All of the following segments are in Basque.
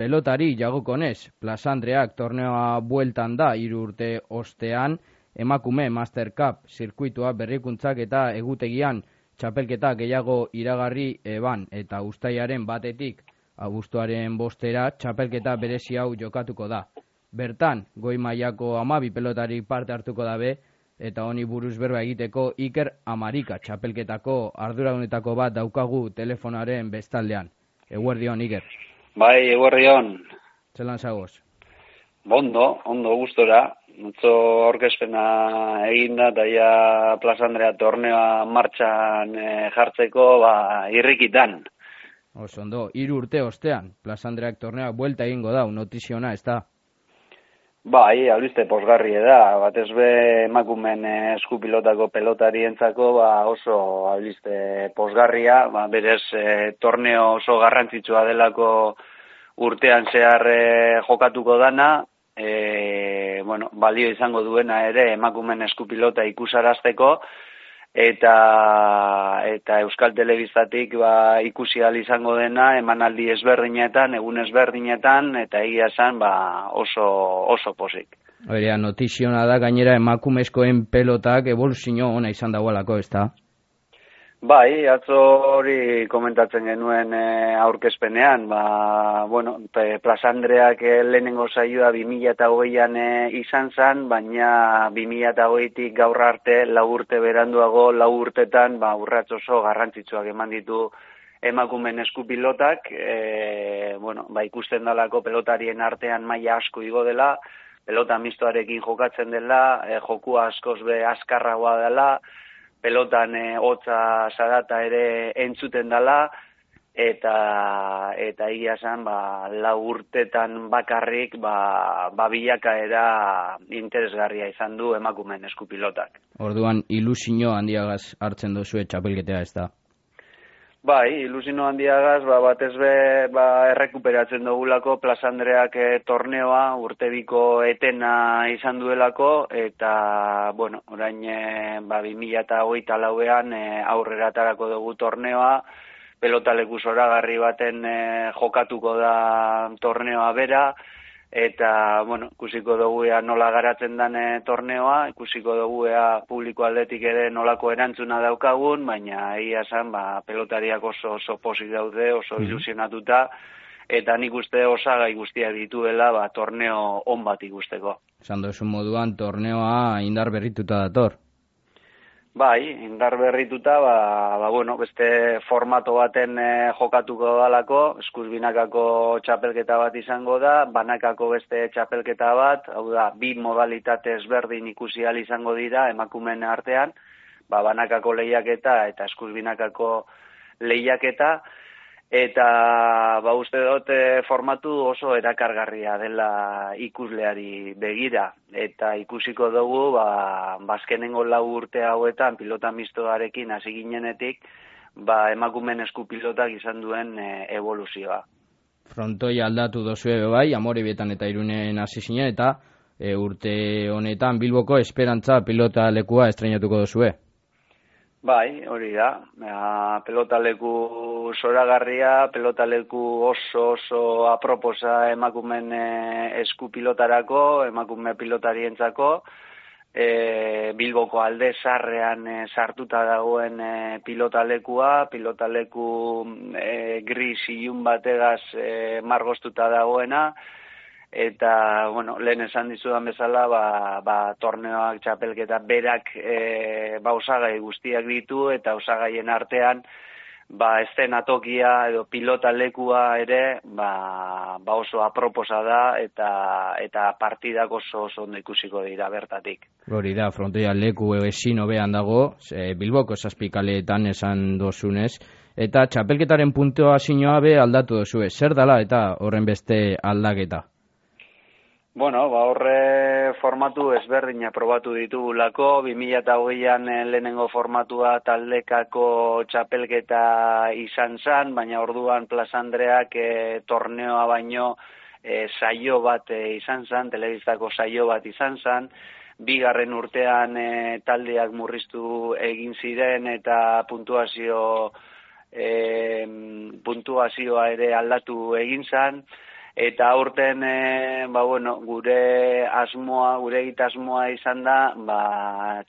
Pelotari jagokonez, Plaza Andreak torneoa bueltan da 3 urte ostean, emakume Master Cup zirkuitua berrikuntzak eta egutegian txapelketa gehiago iragarri eban eta uztailaren 1-tik abuztuaren 5-era txapelketa berezi hau jokatuko da. Bertan, goi mailako 12 pelotari parte hartuko dabe eta honi buruz berba egiteko Iker Amarika txapelketako arduradunetako bat daukagu telefonaren bestaldean. Eguerdion, Iker. Bai, eguerdion. Zelan zagoz? Ondo gustora. Nutzo orkespena eginda eta ja Plaza Andrea torneoa martxan jartzeko irrikitan. Ondo, 3 urte ostean, Plaza Andreak torneoa buelta egingo da, notiziona, ez da? Bai, albiste posgarri da, batez be emakumen eskupilotako pelotarientzako oso albiste posgarria, berez torneo oso garrantzitsua delako urtean zehar jokatuko dana, balio izango duena ere emakumen eskupilota ikusarazteko, eta Euskal Telebistatik ikusi ahal izango dena emanaldi ezberdinetan, egun ezberdinetan, eta egia esan oso pozik. Horea, notiziona da gainera emakumezkoen pelotak evoluzio ona izan dagoelako, ez da? Bai, atzo hori komentatzen genuen aurkezpenean, Plaza Andreak lehenengo saioa 2008an izan zen, baina 2008tik gaur arte 4 urte beranduago, 4 urtetan urrats oso garrantzitsuak eman ditu emakumen eskupilotak, ikusten dalako pelotarien artean maila asko igo dela, pelota mistoarekin jokatzen dela, jokua askoz be azkarragoa dela, pelotan hotza zarata ere entzuten dela, eta egia esan 4 urtetan bakarrik bilakaera interesgarria izan du emakumen eskupilotak. Orduan ilusio handiagaz hartzen duzue txapelketea, ez da? Bai, ilusio handiagaz, batez be errekuperatzen dugulako Plaza Andreak torneoa, urtebiko etena izan duelako, eta, orain 2024an aurrera atarako dugu torneoa, pelotaleku zoragarri baten jokatuko da torneoa bera, eta, ikusiko dugu nola garatzen den torneoa, ikusiko dugu publiko aldetik ere nolako erantzuna daukagun, baina egia esan, pelotariak oso pozik daude, oso ilusionatuta, eta nik uste osagai guztiak dituela torneo on bat ikusteko. Esan duzun moduan, torneoa indar berrituta dator. Bai, indar berrituta, beste formato baten jokatuko dalako, eskuz binakako txapelketa bat izango da, banakako beste txapelketa bat, hau da, 2 modalitate ezberdin ikusi ahal izango dira emakumeen artean, banakako lehiaketa eta eskuz binakako lehiaketa, eta uste dut formatu oso erakargarria dela ikusleari begira, eta ikusiko dugu azkenengo 4 urte hauetan pilota mistoarekin hasi ginenetik emakumen eskupilotak izan duen evoluzioa. Frontoia aldatu dozue bai, Amorebietan eta Irunen hasi zinen, eta urte honetan Bilboko Esperantza pilota lekua estreinatuko dozue. Bai, hori da. Pelotaleku zoragarria, pelotaleku oso aproposa emakumen eskupilotarako, emakume pilotarientzako, Bilboko alde zarrean sartuta dagoen pilotalekua, pilotaleku gris ilun bategaz margostuta dagoena, eta, lehen esan dizudan bezala, torneoak txapelketa berak osagai guztiak ditu, eta osagaien artean, eszenatokia edo pilotalekua ere, oso aproposa da, eta partidak oso ondo ikusiko dira bertatik. Hori da, frontoia leku ezin hobean dago, Bilboko 7 kaleetan esan dozunez, eta txapelketaren puntuazioa be aldatu dozue. Zer dala eta horren beste aldaketa? Horre formatu ezberdina probatu ditugulako, 2008an lehenengo formatua taldekako txapelketa izan zen, baina orduan Plaza Andreak torneoa baino saio bat izan zen, telebistako saio bat izan zen, 2. urtean taldeak murriztu egin ziren eta puntuazioa ere aldatu egin zen, Eta aurten, gure egitasmoa izan da,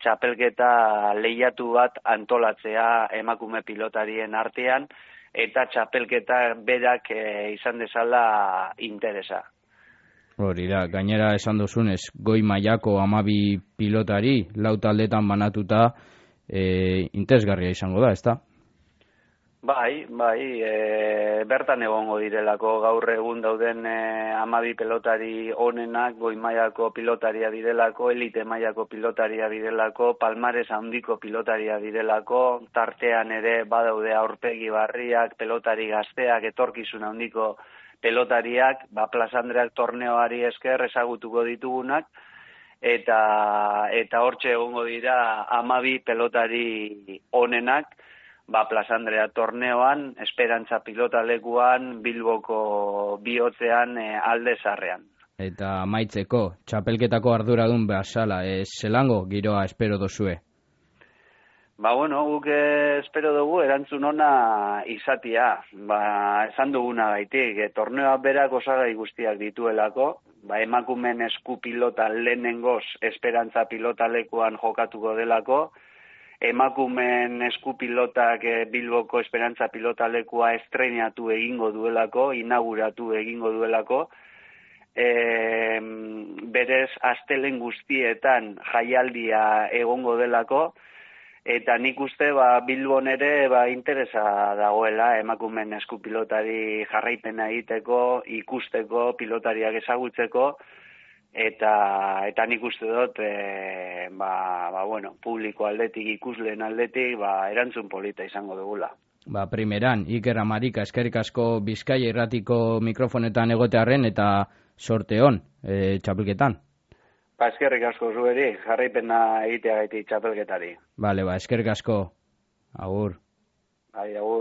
txapelketa lehiatu bat antolatzea emakume pilotarien artean, eta txapelketa berak izan dezala interesa. Hori da, gainera esan duzunez, goi mailako 12 pilotari, lau taldetan banatuta, interesgarria izango da, ezta? Bai, bertan egongo direlako gaur egun dauden 12 pilotari onenak, goi mailako pilotaria direlako, elite mailako pilotaria direlako, palmares handiko pilotaria direlako, tartean ere badaude aurpegi barriak, pilotari gazteak, etorkizun handiko pelotariak, Plaza Andreak torneoari esker ezagutuko ditugunak, eta hortxe egongo dira 12 pelotari onenak, Plaza Andrea torneoan, Esperantza pilotalekuan, Bilboko bihotzean alde zarrean. Eta amaitzeko, txapelketako arduradun bezala, zelango giroa espero dozue? Guk espero dugu erantzun ona izatia. Esan duguna gaitik, torneoa berak osagai guztiak dituelako, emakumen esku pilota lehenengoz Esperantza pilotalekuan jokatuko delako, emakumen eskupilotak Bilboko Esperantza pilotalekua estrenatu egingo duelako, inauguratu egingo duelako, berez astelen guztietan jaialdia egongo delako, eta nik uste Bilbon ere interesa dagoela emakumen eskupilotari jarraipena egiteko, ikusteko, pilotariak ezagutzeko, eta nik uste dut publiko aldetik, ikusleen aldetik erantzun polita izango dugula. Primeran, Iker Amarika, eskerrik asko Bizkaia Irratiko mikrofonetan egotearren eta sorte hon txapelketan. Eskerrik asko zueri, jarraipena egiteagaitik txapelketari. Eskerrik asko. Agur. Agur.